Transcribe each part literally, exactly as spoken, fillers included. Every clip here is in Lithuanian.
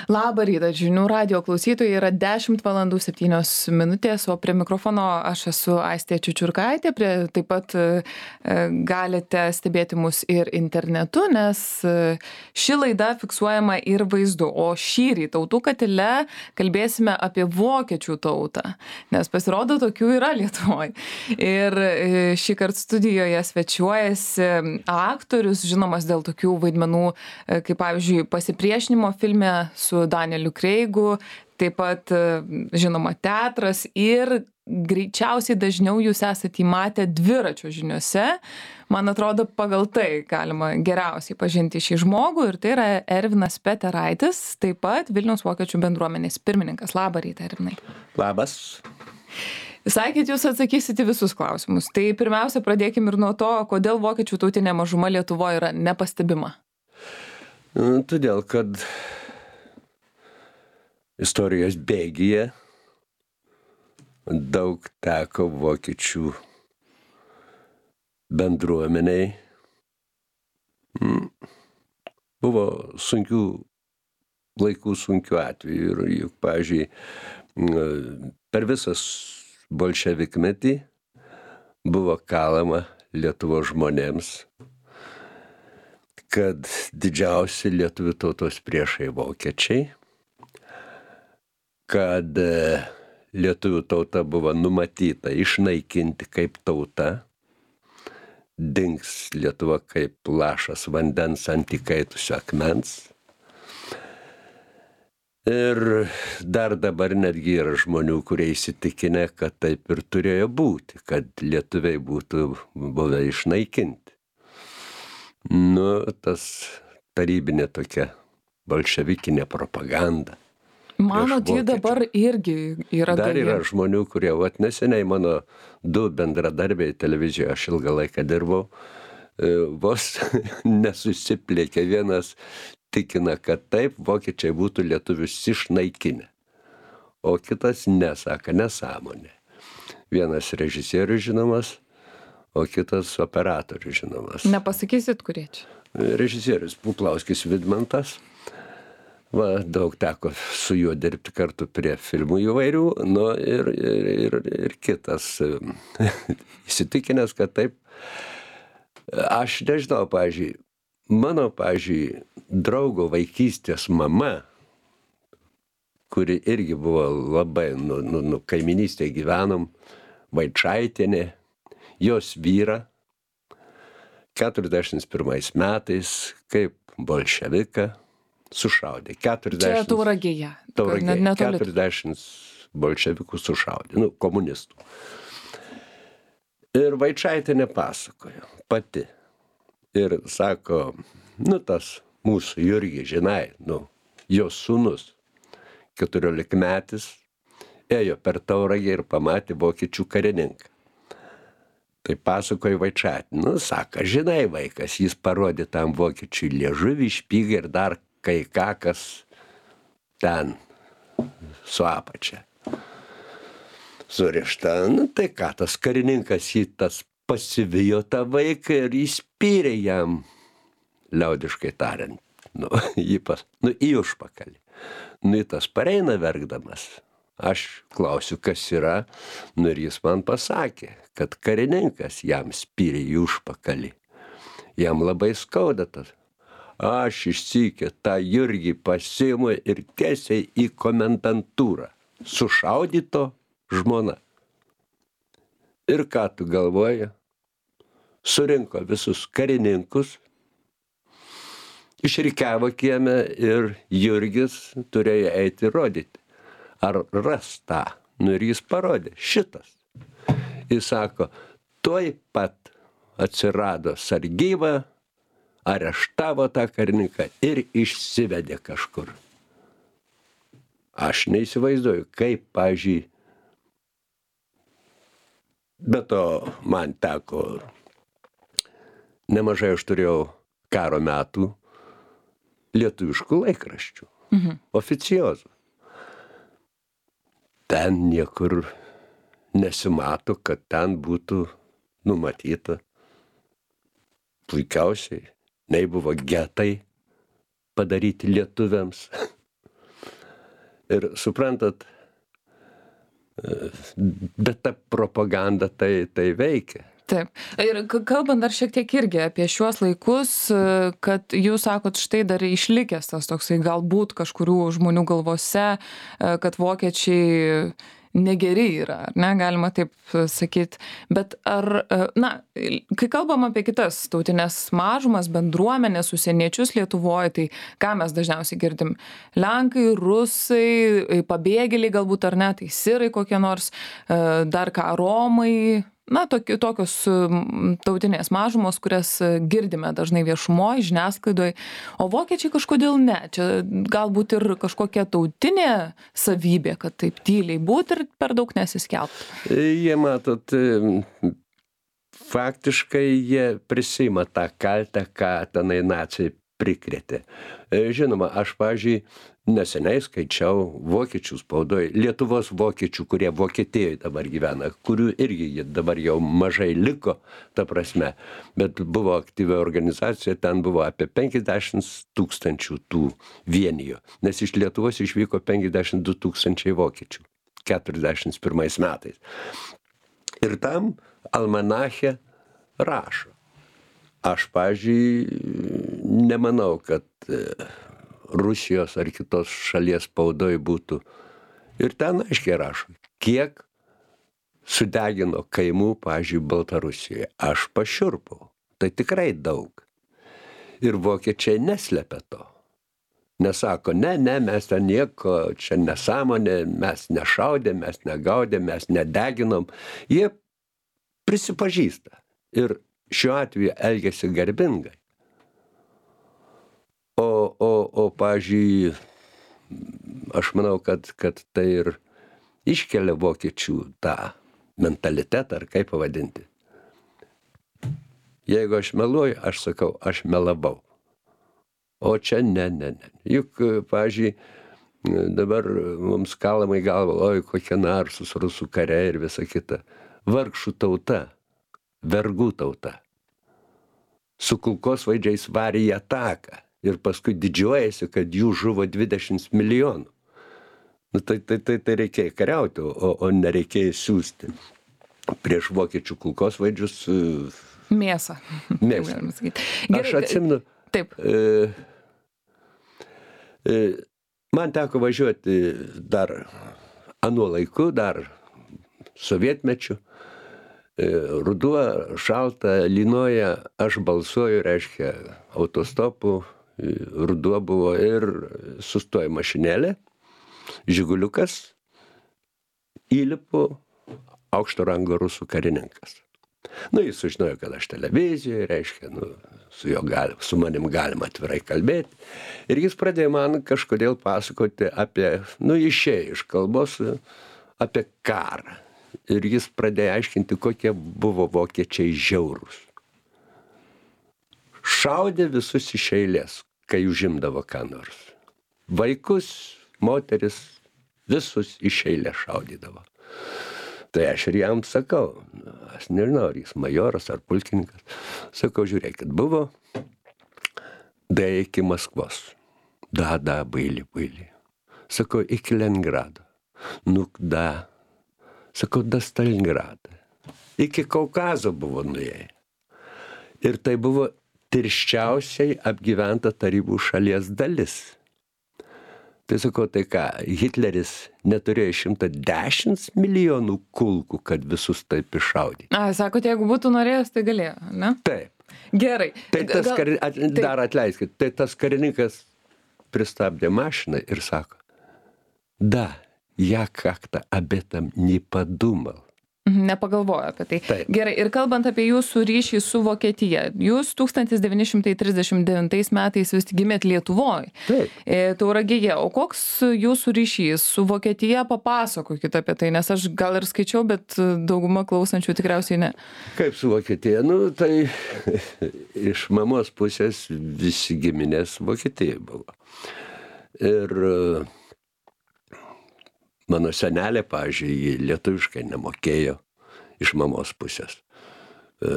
Labą rytą, žinių radio klausytojai, yra dešimt valandų septynios minutės, o prie mikrofono aš esu Aistė Čiučiurkaitė, prie, taip pat e, galite stebėti mus ir internetu, nes e, ši laida fiksuojama ir vaizdu, o šįryt tautų katile kalbėsime apie vokiečių tautą, nes pasirodo tokių yra Lietuvoje. Ir e, šį kartą studijoje svečiuojasi aktorius, žinomas dėl tokių vaidmenų, e, kaip pavyzdžiui, pasipriešinimo filme su Danieliu Kreigu, taip pat žinoma teatras ir greičiausiai dažniau jūs esate įmatę dviračio žiniuose. Man atrodo, pagal tai galima geriausiai pažinti šį žmogų ir tai yra Ervinas Peteraitis, taip pat Vilniaus vokiečių bendruomenės pirmininkas. Labą rytą, Ervinai. Labas. Sakėt, jūs atsakysite visus klausimus. Tai pirmiausia, pradėkime ir nuo to, kodėl vokiečių tautinė mažuma Lietuvoje yra nepastebima. Todėl, kad istorijos bėgyje daug teko vokiečių bendruomeniai. Buvo sunkių laikų, sunkių atvejų. Ir juk, pavyzdžiui, per visas bolševikmetį buvo kalama Lietuvos žmonėms, kad didžiausi lietuvių tautos priešai vokiečiai, kad lietuvių tauta buvo numatyta išnaikinti kaip tauta, dings Lietuva kaip lašas vandens ant įkaitusio akmens. Ir dar dabar netgi yra žmonių, kurie įsitikinę, kad taip ir turėjo būti, kad lietuviai būtų buvę išnaikinti. Nu, tas tarybinė tokia bolševikinė propaganda. Manot, ji dabar irgi yra Dar gaji. yra žmonių, kurie, vat neseniai mano du bendradarbiai televizijoje, aš ilgą laiką dirbau, vos nesusiplėkė. Vienas tikina, kad taip, vokiečiai būtų lietuvius išnaikinę. O kitas nesaka, nesąmonė. Vienas režisierius žinomas, o kitas operatorius žinomas. Nepasakysit, kurie čia? Režisierius Puplauskis Vidmantas. Va, daug teko su juo dirbti kartu prie filmų įvairių, nu ir, ir, ir, ir kitas įsitikinęs, kad taip. Aš nežinau, pavyzdžiui, mano, pavyzdžiui, draugo vaikystės mama, kuri irgi buvo labai, nu, nu, nu kaiminystėje gyvenom, Vaičaitienė, jos vyra, keturiasdešimt pirmais metais, kaip bolševiką, sušaudė. keturiasdešimt Čia Tauragėje. Tauragėje. Net- netoli. keturiasdešimt bolševikų sušaudė, nu, komunistų. Ir Vaičaitienė pasakojo pati. Ir sako, nu, tas mūsų Jurgis, žinai, nu, jos sūnus, keturiolikmetis, ėjo per Tauragę ir pamatė vokiečių karininką. Tai pasakoja Vaičaitienė. Nu, sako, žinai, vaikas, jis parodė tam vokiečiui liežuvį, špygą ir dar kai ką, kas ten su apačia surišta. Nu, tai ką, tas karininkas jį tas pasivijo tą vaiką ir įspyrė jam, liaudiškai tariant, nu, jį pas, nu, į užpakalį. Nu, tas pareina verkdamas. Aš klausiu, kas yra, nu ir jis man pasakė, kad karininkas jam spyrė į užpakalį. Jam labai skauda tas. Aš išsikė tą Jurgį pasiimu ir tiesiai į komendantūrą. Sušaudyto žmona. Ir ką tu galvoji? Surinko visus karininkus, išrikiavo kieme ir Jurgis turėjo eiti rodyti. Ar ras tą? Nu ir jis parodė. Šitas. Jis sako, tuoj pat atsirado sargyba, areštavo tą karininką ir išsivedė kažkur. Aš neįsivaizduoju, kaip, pavyzdžiui, be to man teko, nemažai aš turėjau karo metų lietuviškų laikraščių, mhm. oficiozų. Ten niekur nesimato, kad ten būtų numatyta puikiausiai. Nei buvo getai padaryti lietuviams. Ir suprantat, bet ta propaganda tai, tai veikia. Taip. Ir kalbant dar šiek tiek irgi apie šiuos laikus, kad jūs sakot, štai dar išlikęs tas toksai galbūt kažkurių žmonių galvose, kad vokiečiai negeri yra, ar ne, galima taip sakyti. Bet ar, na, kai kalbam apie kitas tautinės mažumas, bendruomenės, užsieniečius Lietuvoje, tai ką mes dažniausiai girdim? Lenkai, rusai, pabėgėliai galbūt, ar ne, tai sirai kokie nors, dar ką, romai. Na, tokios tautinės mažumos, kurias girdime dažnai viešumoje, žiniasklaidoje, o vokiečiai kažkodėl ne. Čia galbūt ir kažkokia tautinė savybė, kad taip tyliai būti ir per daug nesiskelbti. Jie, matot, faktiškai jie prisima tą kaltę, ką tenai naciai prikrėtė. Žinoma, aš, pavyzdžiui, neseniai skaičiau vokiečių spaudoje, Lietuvos vokiečių, kurie Vokietijoje dabar gyvena, kurių irgi dabar jau mažai liko, ta prasme, bet buvo aktyvi organizacija, ten buvo apie penkiasdešimt tūkstančių tų vienijų, nes iš Lietuvos išvyko penkiasdešimt du tūkstančiai vokiečių keturiasdešimt pirmais metais. Ir tam almanache rašo. Aš, pavyzdžiui, nemanau, kad Rusijos ar kitos šalies spaudoj būtų. Ir ten aiškiai rašo, kiek sudegino kaimų, pavyzdžiui, Baltarusijoje. Aš pašiurpau. Tai tikrai daug. Ir vokiečiai neslepia to. Nesako, ne, ne, mes ten nieko, čia nesąmonė, mes nešaudėm, mes negaudėm, mes nedeginom. Jie prisipažįsta. Ir šiuo atveju elgiasi garbingai. O, o, o pavyzdžiui, aš manau, kad, kad tai ir iškelia vokiečių tą mentalitetą, ar kaip pavadinti. Jeigu aš meluoju, aš sakau, aš melavau. O čia ne, ne, ne. Juk, pavyzdžiui, dabar mums kalama į galvą, oi, kokie narsūs rusų kariai ir visa kita. Vargšų tauta, vergų tauta. Su kulkosvaidžiais varė į ataką. Ir paskui didžiuojasi, kad jų žuvo dvidešimt milijonų. Nu, tai, tai, tai, tai reikėjo kariauti, o, o nereikėjo siųsti prieš vokiečių kulkosvaidžius. Mėsą. Mėsą. Aš atsimenu. Taip. E, e, man teko važiuoti dar anuo laiku, dar sovietmečiu. E, ruduo, šalta, lynoja, aš balsuoju, reiškia, autostopu. Ruduo buvo ir sustoja mašinėlė, žiguliukas, įlipu, aukšto rango rusų karininkas. Nu, jis sužinojo, kad aš televizijoje, reiškia, nu, su, jo gali, su manim galima atvirai kalbėti. Ir jis pradėjo man kažkodėl pasakoti apie, nu, išėjo iš kalbos, apie karą. Ir jis pradėjo aiškinti, kokie buvo vokiečiai žiaurūs. Šaudė visus iš eilės, kai užimdavo ką nors. Vaikus, moteris, visus iš eilės šaudydavo. Tai aš ir jam sakau, aš nežinau, ar jis majoras ar pulkininkas, sakau, žiūrėkit, buvo da iki Maskvos. Da, da, baili, baili. Sakau, iki Leningrado. Nu, da. Sakau, da Stalingradą. Iki Kaukazo buvo nuėję. Ir tai buvo tirščiausiai apgyventa tarybų šalies dalis. Tai sakau, tai ką, Hitleris neturėjo šimtą dešimt milijonų kulkų, kad visus taip iššaudyti. A, sakote, jeigu būtų norėjęs, tai galėjo, ne? Taip. Gerai. Tai tas, Gal... kar... At... dar atleiskit, tai tas karininkas pristabdė mašiną ir sako, da, ja как-то об этом не подумал. Nepagalvojo apie tai. Taip. Gerai, ir kalbant apie jūsų ryšį su Vokietija, jūs tūkstantis devyni šimtai trisdešimt devintais metais vis gimėt Lietuvoje, Tauragėje, o koks jūsų ryšys su Vokietija, papasakokit apie tai, nes aš gal ir skaičiau, bet dauguma klausančių tikriausiai ne. Kaip su Vokietija? Nu, tai iš mamos pusės visi giminės Vokietijai buvo. Ir mano senelė, pavyzdžiui, lietuviškai nemokėjo iš mamos pusės. E,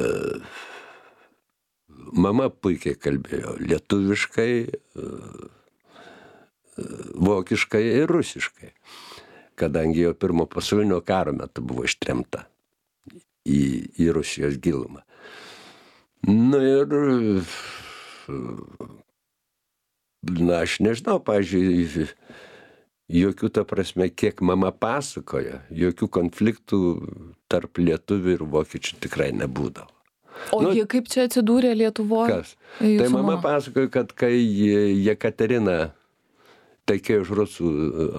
mama puikiai kalbėjo lietuviškai, e, vokiškai ir rusiškai, kadangi jau pirmo pasaulinio karo metu buvo ištremta į, į Rusijos gilumą. Na ir, na aš nežinau, pavyzdžiui, jokių, ta prasme, kiek mama pasakoja, jokių konfliktų tarp lietuvių ir vokiečių tikrai nebūdavo. O nu, jie kaip čia atsidūrė Lietuvoje? Kas? Tai mama, mama pasakoja, kad kai Jekaterina tekėjo už rusų,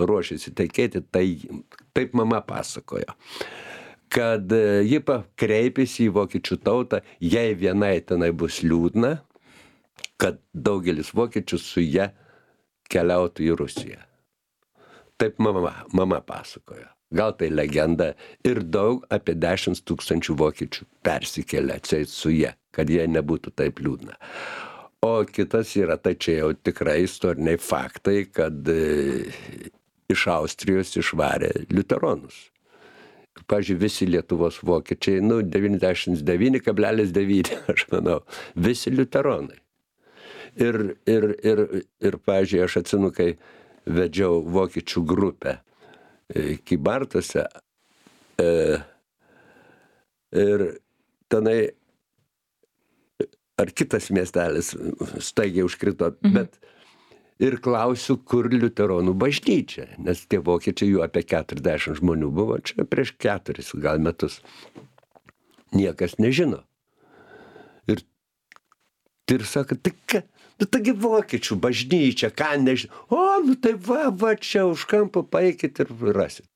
ruošėsi tekėti, tai taip mama pasakoja, kad ji kreipėsi į vokiečių tautą, jei vienai tenai bus liūdna, kad daugelis vokiečių su ja keliautų į Rusiją. Taip mama, mama pasakoja. Gal tai legenda ir daug apie dešimt tūkstančių vokiečių persikėlė atseit su ja, kad jie nebūtų taip liūdna. O kitas yra, tai čia jau tikrai istoriniai faktai, kad e, iš Austrijos išvarė liuteronus. Pavyzdžiui, visi Lietuvos vokiečiai, nu, devyniasdešimt devyni kablelis devyni, aš manau, visi liuteronai. Ir, ir, ir, ir pavyzdžiui, aš atsinu, kai vedžiau vokiečių grupę Kybartuose e, ir tenai ar kitas miestelis staigiai užkrito, mhm. bet ir klausiu, kur liuteronų bažnyčia, nes tie vokiečiai jų apie keturiasdešimt žmonių buvo, čia prieš keturis gal metus. Niekas nežino. Ir, ir sako, tai ką? Nu, taigi vokiečių bažnyčia, ką nežinau. O, nu tai va, va, čia už kampo paeikit ir rasit.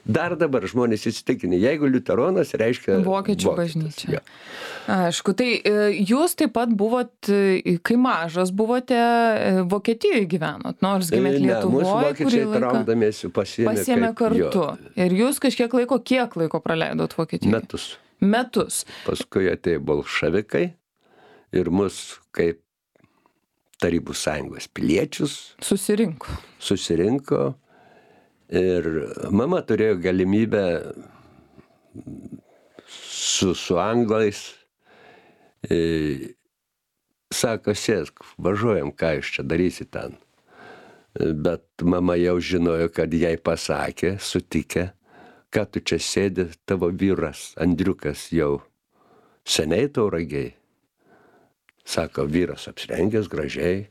Dar dabar žmonės įsitikinę, jeigu liuteronas reiškia vokiečių bažnyčia. Ja. Aišku, tai jūs taip pat buvot, kai mažas buvote, Vokietijoje gyvenot, nors gimėt Lietuvoje. Ne, mūsų vokiečiai traukdamiesi pasiėmė, pasiėmė kartu. Jo. Ir jūs kažkiek laiko, kiek laiko praleidot Vokietijoje? Metus. Metus. Paskui atėjo bolševikai ir mus kaip Tarybų sąjungos piliečius susirinko. Susirinko ir mama turėjo galimybę su, su anglais, e, sako, sėsk, važiuojam, ką jūs čia darysi ten. Bet mama jau žinojo, kad jai pasakė, sutikė, kad tu čia sėdi, tavo vyras, Andriukas, jau seniai Tauragėj. Sako, vyras apsirengęs gražiai,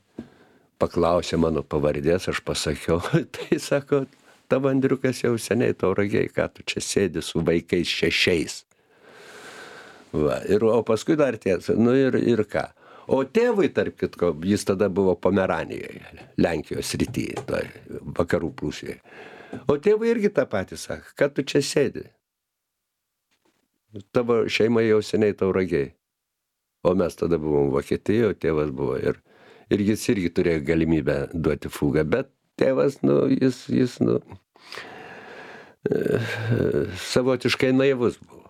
paklausė mano pavardės, aš pasakiau, tai sako, tavo Andriukas jau seniai Tauragėj, ką tu čia sėdi su vaikais šešiais. Va, ir, o paskui dar tiesa, nu ir, ir ką. O tėvui, tarp kitko, jis tada buvo Pomeranijoje, Lenkijos srityje, tai vakarų Prūsijoje. O tėvui irgi tą patį sako, kad tu čia sėdi. Tavo šeima jau seniai Tauragėj. O mes tada buvom Vokietijoje, tėvas buvo ir, ir jis irgi turėjo galimybę duoti fugą, bet tėvas, nu, jis, jis, nu, e, savotiškai naivus buvo.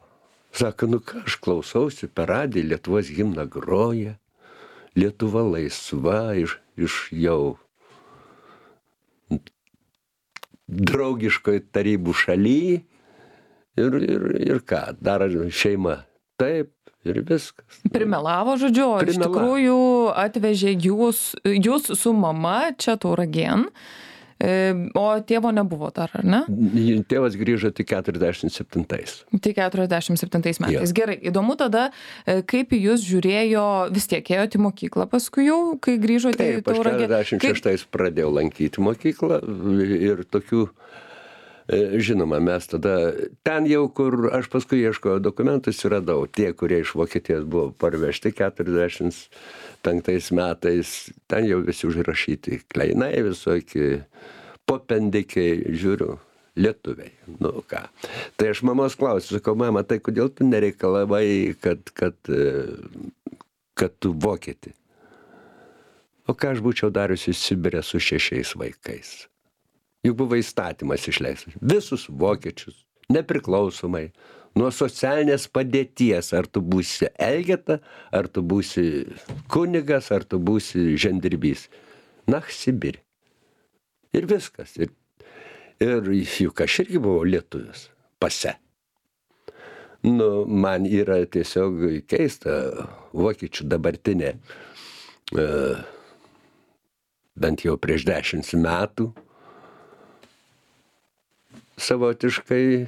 Sako, nu ką, aš klausausi per radiją, Lietuvos himną groja, Lietuva laisva iš, iš jau draugiškoj tarybų šaly ir, ir, ir ką, dar šeima taip. Ir viskas. Primelavo, žodžiu, o iš tikrųjų atvežė jūs, jūs su mama čia Tauragėn, o tėvo nebuvo dar, ar ne? Tėvas grįžo tik keturiasdešimt septintais. Tik keturiasdešimt septintais metais. Ja. Gerai, įdomu tada, kaip jūs žiūrėjo, vis tiek ėjote į mokyklą paskui jau, kai grįžote Taip, į Tauragę. Taip, aš keturiasdešimt šeštais kaip... pradėjau lankyti mokyklą ir tokių žinoma, mes tada, ten jau, kur aš paskui ieškojau dokumentus, radau tie, kurie iš Vokietijos buvo parvežti keturiasdešimt penktais metais, ten jau visi užrašyti kleinai, visokie popendikiai, žiūriu, lietuviai, nu ką. Tai aš mamos klausiu, sakau, mama, tai kodėl tu nereikalavai, kad, kad, kad tu vokietį? O ką aš būčiau dariusi Sibire su šešiais vaikais? Juk buvo įstatymas išleistas. Visus vokiečius, nepriklausomai, nuo socialinės padėties, ar tu būsi elgeta, ar tu būsi kunigas, ar tu būsi žemdirbys. Na, Sibirė. Ir viskas. Ir, ir juk aš irgi buvau lietuvis. Pase. Nu, man yra tiesiog keista vokiečių dabartinė uh, bent jau prieš dešimt metų, savotiškai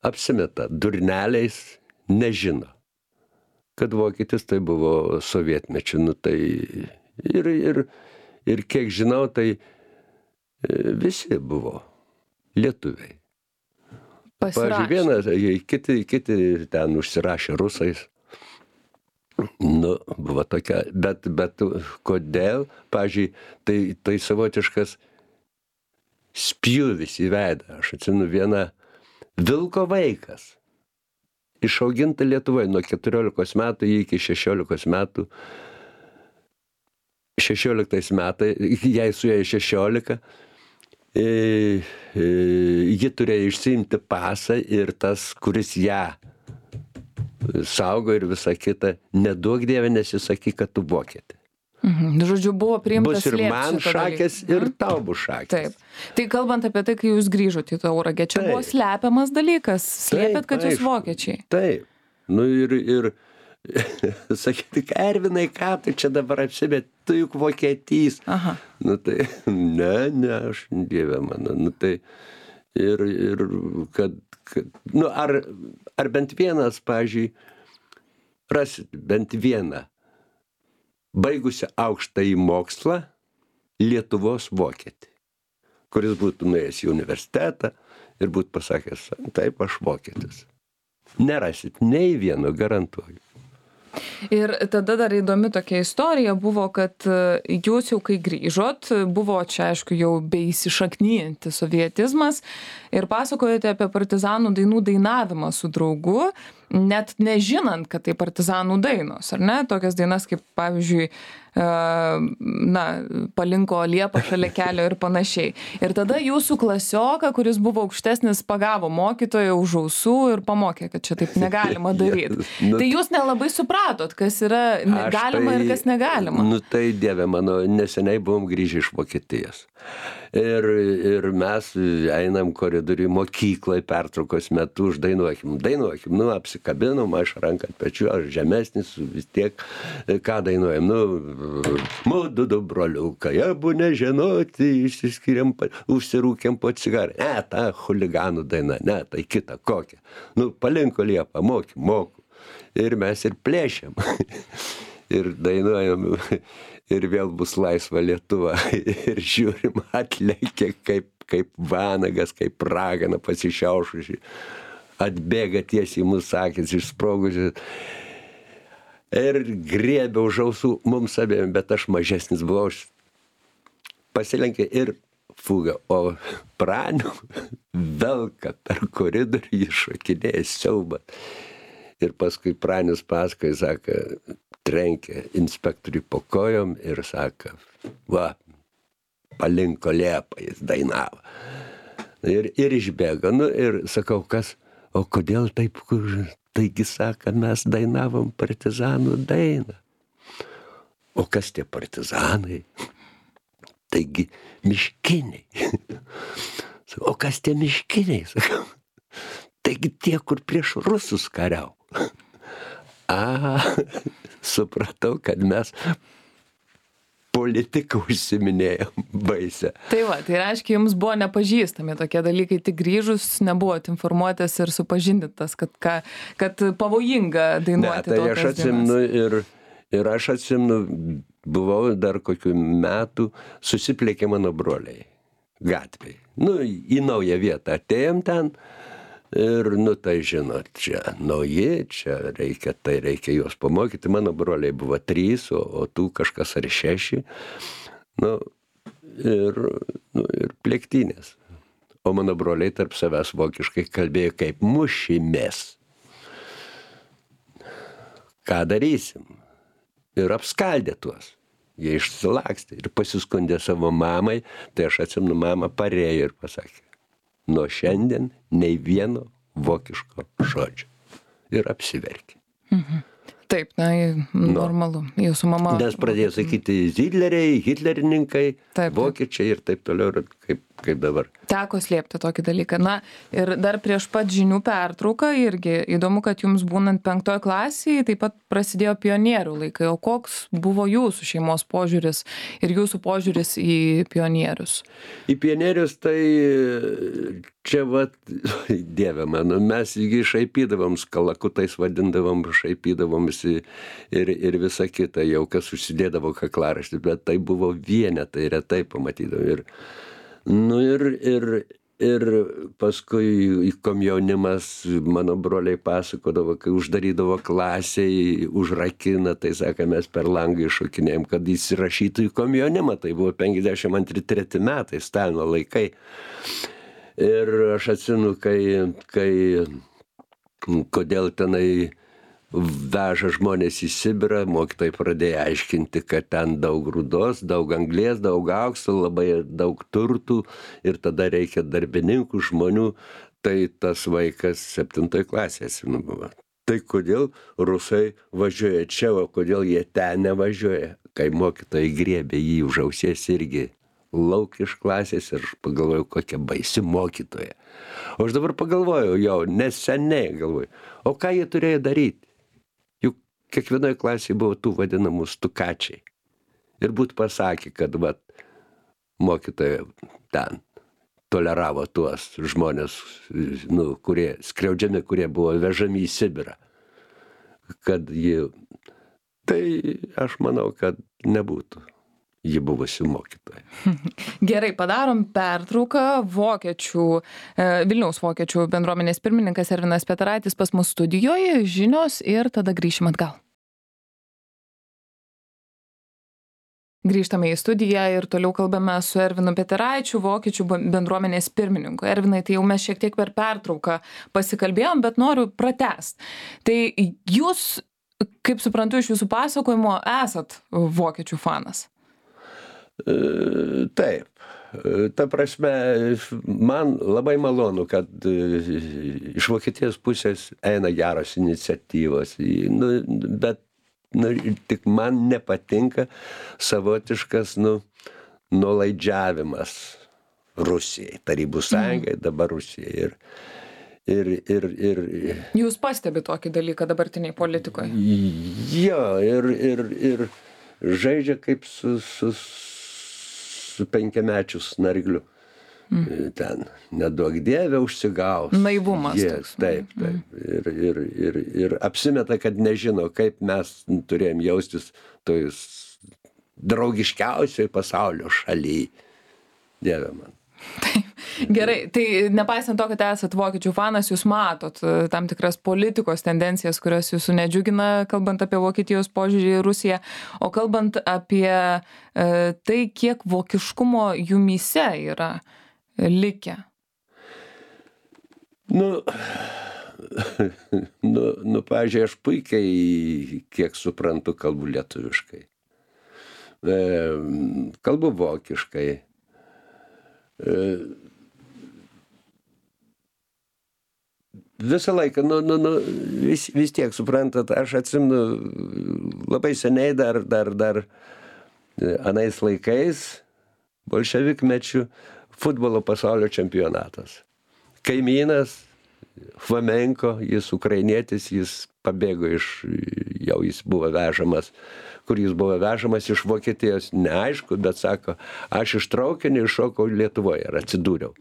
apsimeta durneliais, nežino, kad vokietis tai buvo sovietmečiu. Nu, tai ir, ir, ir kiek žinau, tai visi buvo lietuviai. Pavyzdžiui, vienas, kiti, kiti ten užsirašė rusais. Nu, buvo tokia, bet, bet kodėl, pavyzdžiui, tai, tai savotiškas spjūvis į veidą. Aš atsimenu vieną vilko vaikas, išauginta Lietuvoje nuo keturiolikos metų iki šešiolikos metų. šešioliktais metais, jai suėjo šešiolika, e, e, ji turėjo išsiimti pasą ir tas, kuris ją saugo ir visą kitą, neduok Dieve nesisakyk, kad tu vokietė. Mhm. Žodžiu, buvo priimtas bus ir man šakės, ir tau bus šakės. Taip. Tai kalbant apie tai, kai jūs grįžote į Tauragę, čia buvo slepiamas dalykas, slėpėt, kad jūs vokiečiai. Taip. Nu ir, ir sakyti, Ervinai, ką tu čia dabar apsibėt, tu juk vokietys. Aha. Nu tai, ne, ne, aš Dieve mano, nu tai, ir, ir kad, kad nu ar, ar bent vienas, pavyzdžiui, rasit bent vieną baigusi aukštąjį mokslą Lietuvos vokietį, kuris būtų nuėjęs į universitetą ir būtų pasakęs, taip, aš vokietis. Nerasit nei vieno, garantuoju. Ir tada dar įdomi tokia istorija buvo, kad jūs jau kai grįžot, buvo čia, aišku, jau beįsišaknyjantis sovietizmas ir pasakojate apie partizanų dainų dainavimą su draugu, net nežinant, kad tai partizanų dainos, ar ne? Tokias dainas kaip, pavyzdžiui, na, palinko liepa šalia kelio ir panašiai. Ir tada jūsų klasioką, kuris buvo aukštesnis, pagavo mokytoją už ausų ir pamokė, kad čia taip negalima daryti. Nu, tai jūs nelabai supratot, kas yra galima tai, ir kas negalima. Nu tai, Dieve mano, neseniai buvom grįžę iš Vokietijos. Ir, ir mes einam koridoriui mokyklai pertraukos metu, uždainuokim, dainuokim, nu apsikabinom, aš ranką ant pečių, aš žemesnis, vis tiek, ką dainuojam, nu, mudu du broliukai, abu nežinoti, išsiskiriam, užsirūkėm po cigarą, ne, ta chuliganų daina, ne, tai kita, kokia, nu, palinko liepą, moki, moku, ir mes ir plėšiam, ir dainuojam, ir vėl bus laisva Lietuva, ir žiūrim, atlekia kaip, kaip vanagas, kaip ragana pasišiaušusi, atbėga tiesiai į mūsų akis, išsprogusi, ir griebė už ausų mums abiem, bet aš mažesnis buvau, aš pasilenkė ir fuga, o Pranių velka per koridorių, jis šokinėja siaubat. Ir paskui Pranius paskui, sako, trenkė inspektoriui po kojom ir sako, va, palinko liepą, jis dainavo. Ir, ir išbėgo, nu ir sakau, kas, o kodėl taip, taigi sako, mes dainavom partizanų dainą. O kas tie partizanai? Taigi miškiniai. O kas tie miškiniai? Sakau, taigi tie, kur prieš rusus kariau. A, supratau, kad mes politiką užsiminėjom baisę. Tai va, tai reiškia, jums buvo nepažįstami tokie dalykai, tik grįžus nebuvot informuotas ir supažindintas, kad, ka, kad pavojinga dainuoti. Ne, tai aš atsimenu ir, ir aš atsimenu, buvau dar kokių metų, susiplėkė mano broliai gatvėj. Nu, į naują vietą atėjom ten. Ir, nu, tai žinot, čia nauji, čia reikia, tai reikia juos pamokyti. Mano broliai buvo trys, o, o tų kažkas ar šeši. Nu, ir, nu, ir plėktynės. O mano broliai tarp savęs vokiškai kalbėjo kaip mušimės. Ką darysim? Ir apskaldė tuos. Jie išsilakstė ir pasiskundė savo mamai. Tai aš atsimenu, mama parėjo ir pasakė, nuo šiandien nei vieno vokiško žodžio. Ir apsiverkė. Mhm. Taip, na, normalu. Jūsų mama. Nes pradėjo sakyti Hitleriai, hitlerininkai, Taip. vokiečiai ir taip toliau, ir kaip, kaip dabar. Teko slėpti tokį dalyką. Na, ir dar prieš pat žinių pertrauką irgi įdomu, kad jums būnant penktoje klasėje taip pat prasidėjo pionierių laikai. O koks buvo jūsų šeimos požiūris ir jūsų požiūris į pionierius? Į pionierius tai čia vat, dieve mano, mes jį šaipydavom, skalakutais vadindavom, šaipydavom visi ir, ir visa kita, jau kas užsidėdavo kaklaraištį, bet tai buvo vienetai, retai pamatydavom. Ir, nu ir, ir, ir paskui komjaunimas, mano broliai pasakodavo, kai uždarydavo klasėj, užrakina, tai sako, mes per langą iššokinėjom, kad įsirašytų į komjaunimą, tai buvo penkiasdešimt antri treti metai, Stalino laikai. Ir aš atsinu, kai, kai kodėl tenai veža žmonės į Sibirą, mokytojai pradėjo aiškinti, kad ten daug rūdos, daug anglies, daug aukso, labai daug turtų ir tada reikia darbininkų, žmonių. Tai tas vaikas septintoje klasėje buvo. Tai kodėl rusai važiuoja čia, o kodėl jie ten nevažiuoja? Kai mokytojai griebė jį už ausies irgi lauk iš klasės ir aš pagalvojau, kokia baisi mokytoja. O aš dabar pagalvojau, jau neseniai galvoju, o ką jie turėjo daryti? Juk kiekvienoje klasėje buvo tų vadinamų stukačiai. Ir būt pasakė, kad vat, mokytoja ten toleravo tuos žmonės, nu, kurie skriaudžiami, kurie buvo vežami į Sibirą. Kad jie... Tai aš manau, kad nebūtų. Ji buvusi mokytoja. Gerai, padarom pertrauką. Vokiečių, Vilniaus vokiečių bendruomenės pirmininkas Ervinas Petraitis pas mus studijoje, žinios ir tada grįšim atgal. Grįžtame į studiją ir toliau kalbame su Ervinu Petraičiu, vokiečių bendruomenės pirmininku. Ervinai, tai jau mes šiek tiek per pertrauką pasikalbėjom, bet noriu pratęst. Tai jūs, kaip suprantu iš jūsų pasakojimo, esat vokiečių fanas. Taip. Ta prasme, man labai malonu, kad iš Vokietijos pusės eina geros iniciatyvos, nu, bet nu, tik man nepatinka savotiškas nu, nuolaidžiavimas Rusijai, Tarybų Sąjungai, dabar Rusijai. Ir, ir, ir, ir, Jūs pastebite tokį dalyką dabartiniai politikoje? Jo, ir, ir, ir žaidžia kaip su... su su penkiamečiu snargliu. Mm. Ten neduok dievę užsigaus. Naivumas Jie, toks. Taip, taip. Mm. Ir, ir, ir, ir apsimeta, kad nežino, kaip mes turėjom jaustis toj draugiškiausioj pasaulio šaly. Dieve man. Taip. Gerai, tai nepaisant to, kad esat vokiečių fanas, jūs matot tam tikras politikos tendencijas, kurios jūsų nedžiugina, kalbant apie Vokietijos požiūrį į Rusiją, o kalbant apie e, tai, kiek vokiškumo jumyse yra likę. Nu, nu, nu pavyzdžiui, aš puikiai, kiek suprantu, kalbu lietuviškai. E, kalbu vokiškai. E, Visą laiką, nu, nu, nu, vis, vis tiek, suprantat, aš atsimenu labai seniai dar, dar, dar anais laikais, bolševikmečių, futbolo pasaulio čempionatas. Kaimynas, Flamenko, jis ukrainietis, jis pabėgo iš, jau jis buvo vežamas, kur jis buvo vežamas iš Vokietijos, neaišku, bet sako, aš iš traukinio iššokau Lietuvoje ir atsidūriau.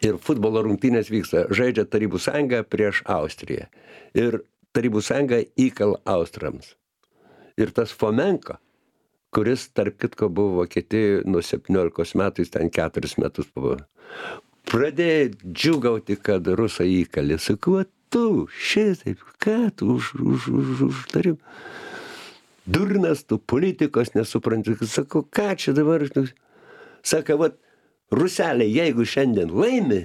Ir futbolo rungtynės vyksta, žaidžia Tarybų Sąjunga prieš Austriją. Ir Tarybų Sąjunga įkala austrams. Ir tas Fomenko, kuris, tarp kitko, buvo Vokietijoje nuo septyniolikos metų, jis ten keturis metus buvo, pradėjo džiūgauti, kad rusai įkalė. Sakau, tu, šitaip, ką tu už, už, už, už tarim? Durnas, tu politikos nesupranti. Sakau, ką čia dabar? Sako, vat, Ruselė, jeigu šiandien laimi,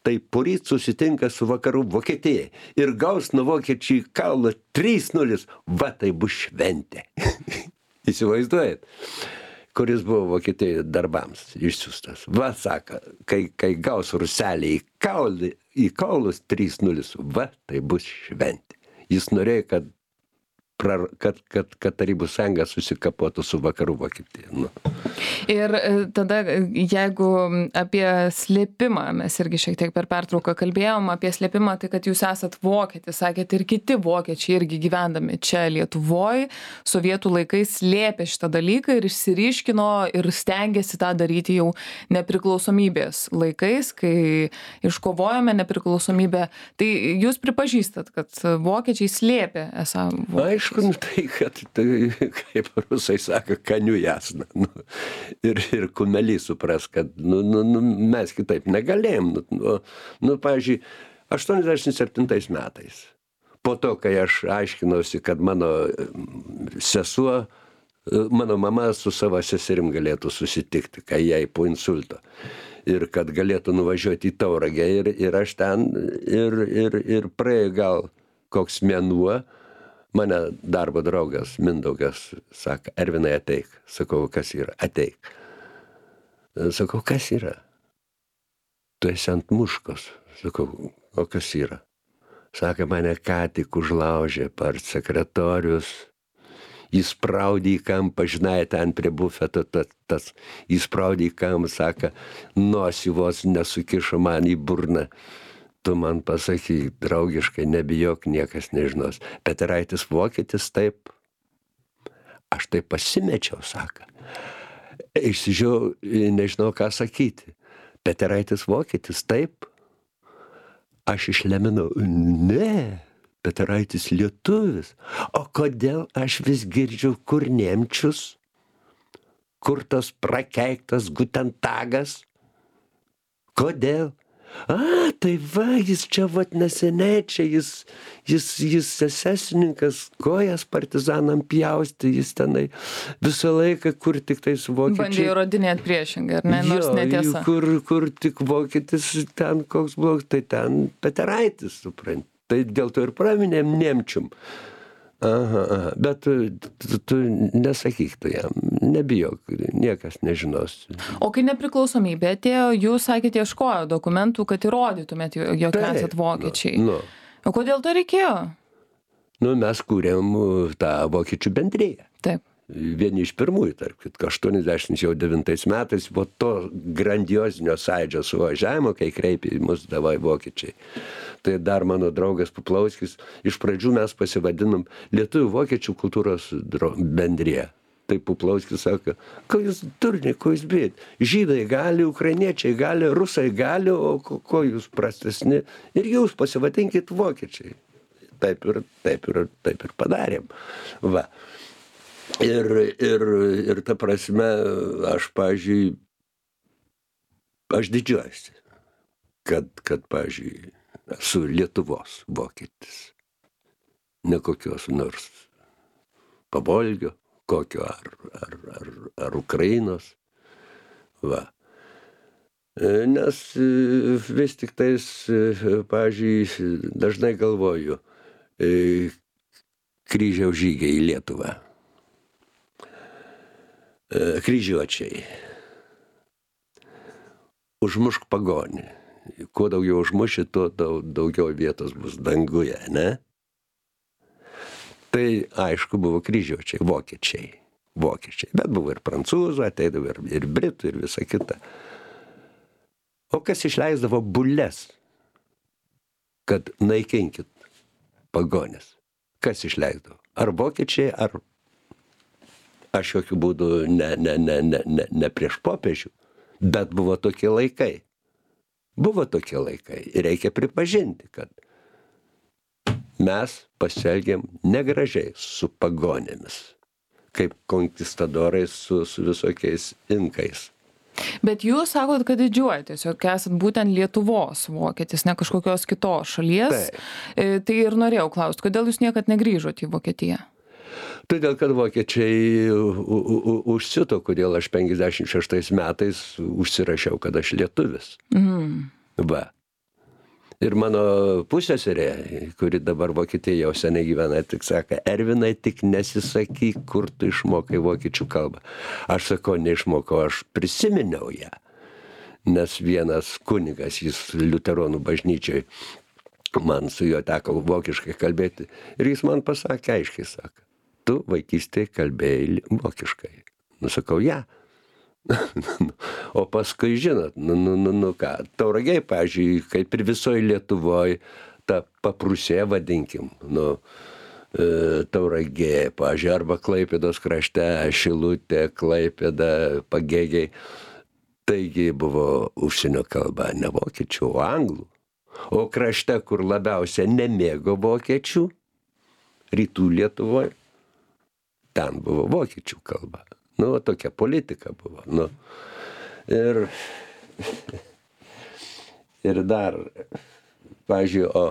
tai poryt susitinka su vakarų Vokietija ir gaus nuo vokiečių į kaulą trys nulis, va tai bus šventė. Įsivaizduojat, kuris buvo Vokietijoje darbams išsiųstas. Va, sako, kai, kai gaus Ruselė į, kaulį, į kaulus trys nulis, va tai bus šventė. Jis norėjo, kad prar, kad, kad, kad Tarybų sąjunga susikapotų su vakarų Vokietija. Nu. Ir tada, jeigu apie slėpimą, mes irgi šiek tiek per pertrauką kalbėjom apie slėpimą, tai kad jūs esat vokietis, sakėt, ir kiti vokiečiai irgi gyvendami čia Lietuvoje, sovietų laikais slėpė šitą dalyką ir išsiryškino ir stengiasi tą daryti jau nepriklausomybės laikais, kai iškovojome nepriklausomybę. Tai jūs pripažįstat, kad vokiečiai slėpė esą vokiečiai? Aišku, nu, tai, kad, tai, kaip rusai sako, kaniu jasna. Nu, ir, ir kumeliai supras, kad nu, nu, nu, mes kitaip negalėjom. Nu, nu, nu, pavyzdžiui, aštuoniasdešimt septintais metais, po to, kai aš aiškinausi, kad mano sesuo, mano mama su savo seserim galėtų susitikti, kai jai po insulto. Ir kad galėtų nuvažiuoti į Tauragę. Ir, ir aš ten, ir, ir, ir praėjo gal koks mėnuo, mane darbo draugas Mindaugas sako, Ervinai, ateik. Sakau, kas yra? Ateik. Sakau, kas yra? Tu esi ant muškos. Sakau, o kas yra? Sako, mane ką tik užlaužė part sekretorius. Jis spraudė į kampą, žinai, ten prie bufeto, tas, tas, jis spraudė į kampą, sako, nosį vos nesukišo man į burną. Tu man pasakyk, draugiškai, nebijok, niekas nežinos. Peteraitis vokietis, taip. Aš taip pasimečiau, sako. Išsižiau, nežinau, ką sakyti. Peteraitis vokietis, taip. Aš išleminau, ne, Peteraitis lietuvis. O kodėl aš vis girdžiu, kur Nemčius, kur tas prakeiktas Gutentagas? Kodėl? A, tai va, jis čia vat neseniai, čia jis, jis, jis esesininkas, kojas partizanam pjausti, jis tenai visą laiką, kur tik tai su vokiečiai. Bandė įrodinėti priešingai, ar ne, nors netiesa. Kur, kur tik vokietis ten koks blogas, tai ten Peteraitis, suprant. Tai dėl to ir praminėm Nemčium. Aha, aha, bet tu, tu, tu nesakyk tu jam, nebijok, niekas nežinos. O kai nepriklausomybė atėjo, jūs sakėte, ieškojo dokumentų, kad įrodytumėt, jog esat vokiečiai. Nu, nu. O kodėl to reikėjo? Nu, mes kūrėm tą vokiečių bendriją. Taip. Vieni iš pirmųjų, tarp kitko, aštuoniasdešimt devintais metais, po to grandiozinio sąjūdžio suvažiavimo, kai kreipė į mus davai vokiečiai. Tai dar mano draugas Puplauskis, iš pradžių mes pasivadinom Lietuvių vokiečių kultūros bendrija. Tai Puplauskis sako, ko jūs turni, ko jūs bijat? Žydai gali, ukrainiečiai gali, rusai gali, o ko, ko jūs prastesni? Ir jūs pasivadinkit vokiečiai. Taip ir, taip ir, taip ir padarėm. Va. Ir, ir, ir ta prasme, aš, pavyzdžiui, aš didžiuojuosi, kad, kad, pavyzdžiui, esu Lietuvos vokietis. Ne kokios nors Pavolgio, kokio ar, ar, ar, ar Ukrainos. Va. Nes vis tik tais, pavyzdžiui, dažnai galvoju, kryžiaus žygiai į Lietuvą. Kryžiuočiai. Užmušk pagonį. Kuo daugiau užmuši, tuo daugiau vietos bus danguje, ne? Tai aišku buvo kryžiuočiai, vokiečiai. Vokiečiai. Bet buvo ir prancūzų, ateidavo ir, ir britų, ir visa kita. O kas išleisdavo bulles, kad naikinkit pagonis? Kas išleisdavo? Ar vokiečiai, ar aš jokių būdų ne, ne, ne, ne, ne, ne prieš popiežių, bet buvo tokie laikai. Buvo tokie laikai. Ir reikia pripažinti, kad mes pasielgėm negražiai su pagonėmis, kaip konkistadorais su, su visokiais inkais. Bet jūs sakot, kad didžiuojatės, jog esat būtent Lietuvos vokietis, ne kažkokios kitos šalies. Tai, tai ir norėjau klausti, kodėl jūs niekad negrįžot į Vokietiją? Todėl, kad vokiečiai užsito, kodėl aš penkiasdešimt šeštais metais užsirašiau, kad aš lietuvis. Mm. Va. Ir mano pusseserė, kuri dabar Vokietijoje jau seniai gyvena, tik sako, Ervinai, tik nesisakyk, kur tu išmokai vokiečių kalbą. Aš sakau, neišmokau, aš prisiminiau ją. Nes vienas kunigas, jis liuteronų bažnyčioj, man su juo teko vokiškai kalbėti. Ir jis man pasakė, aiškiai sako, tu vaikystėje kalbėjai vokiškai. Nusakau, ja. O paskui, žinot, nu, nu, nu, nu ką, Tauragėj, pavyzdžiui, kaip ir visoje Lietuvoje, ta paprusė, vadinkim, nu, e, Tauragė, pavyzdžiui, arba Klaipėdos krašte, Šilutė, Klaipėda, Pagėgiai. Taigi buvo užsienio kalba ne vokiečių, o anglų. O krašte, kur labiausia nemėgo vokiečių, rytų Lietuvoje, ten buvo vokiečių kalba. Nu, tokia politika buvo. Nu. Ir, ir dar, pavyzdžiui, o,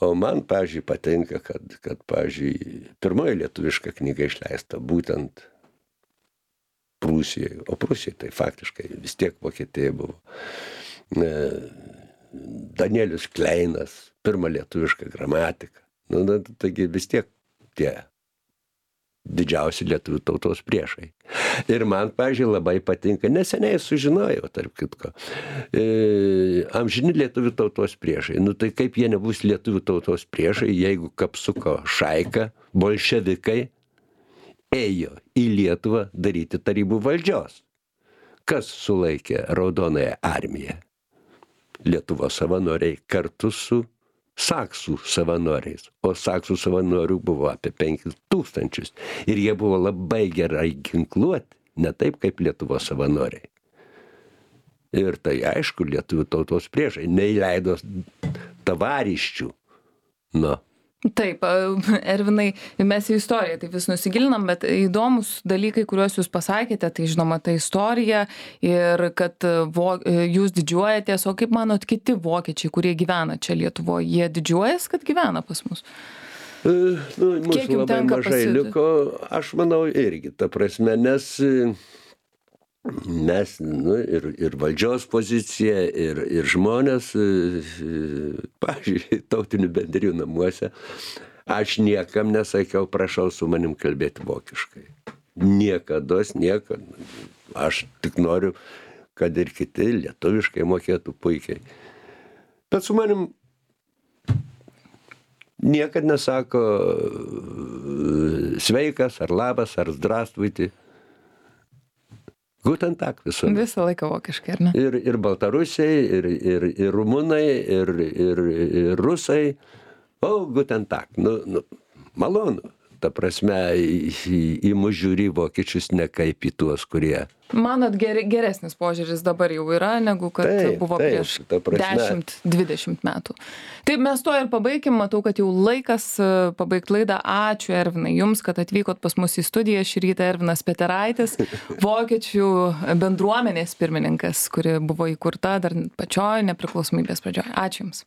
o man, pavyzdžiui, patinka, kad, kad pavyzdžiui, pirmoji lietuviška knyga išleista būtent Prūsijoje. O Prūsijoje tai faktiškai vis tiek Vokietija buvo. Danielius Kleinas, pirma lietuviška gramatika. Nu, na, taigi vis tiek tie didžiausi lietuvių tautos priešai. Ir man, pavyzdžiui, labai patinka, neseniai sužinojau, tarp kitko, e, amžini lietuvių tautos priešai. Nu tai kaip jie nebus lietuvių tautos priešai, jeigu Kapsuko šaika, bolševikai, ėjo į Lietuvą daryti tarybų valdžios. Kas sulaikė Raudonąją armiją? Lietuvos savanoriai kartu su saksų savanoriais, o saksų savanorių buvo apie penkis tūkstančius. Ir jie buvo labai gerai ginkluoti, ne taip kaip Lietuvos savanoriai. Ir tai aišku, lietuvių tautos priešai neįleido tavariščių. Nu. Taip, Ervinai, mes į istoriją taip vis nusigilinam, bet įdomus dalykai, kuriuos jūs pasakėte, tai žinoma, ta istorija ir kad vo, jūs didžiuojatės, o kaip manot kiti vokiečiai, kurie gyvena čia Lietuvoje, jie didžiuojas, kad gyvena pas mus? Nu, mūsų labai mažai pasid... liko, aš manau irgi, ta prasme, nes mes, nu, ir, ir valdžios pozicija, ir, ir žmonės, pavyzdžiui, tautinių bendrijų namuose, aš niekam nesakiau, prašau su manim kalbėti vokiškai. Niekados, niekad. Aš tik noriu, kad ir kiti lietuviškai mokėtų puikiai. Bet su manim niekad nesako sveikas, ar labas, ar zdrastvuiti. Guten Tag visą. Visą laiką vokiškai, ar ne? Ir, ir baltarusiai, ir, ir, ir rumunai, ir, ir, ir rusai. O, Guten Tag. Nu, nu, malonu. Ta prasme, į, į, į mus žiūri vokiečius ne kaip į tuos, kurie... Manot, ger, geresnis požiūris dabar jau yra, negu kad taip, buvo taip, prieš prasme... dešimt dvidešimt metų. Taip, mes to ir pabaikim. Matau, kad jau laikas pabaigti laidą. Ačiū, Ervinai, jums, kad atvykot pas mus į studiją. Šį rytą Ervinas Peteraitis, vokiečių bendruomenės pirmininkas, kuri buvo įkurta dar pačioj nepriklausomybės pradžioj. Ačiū jums.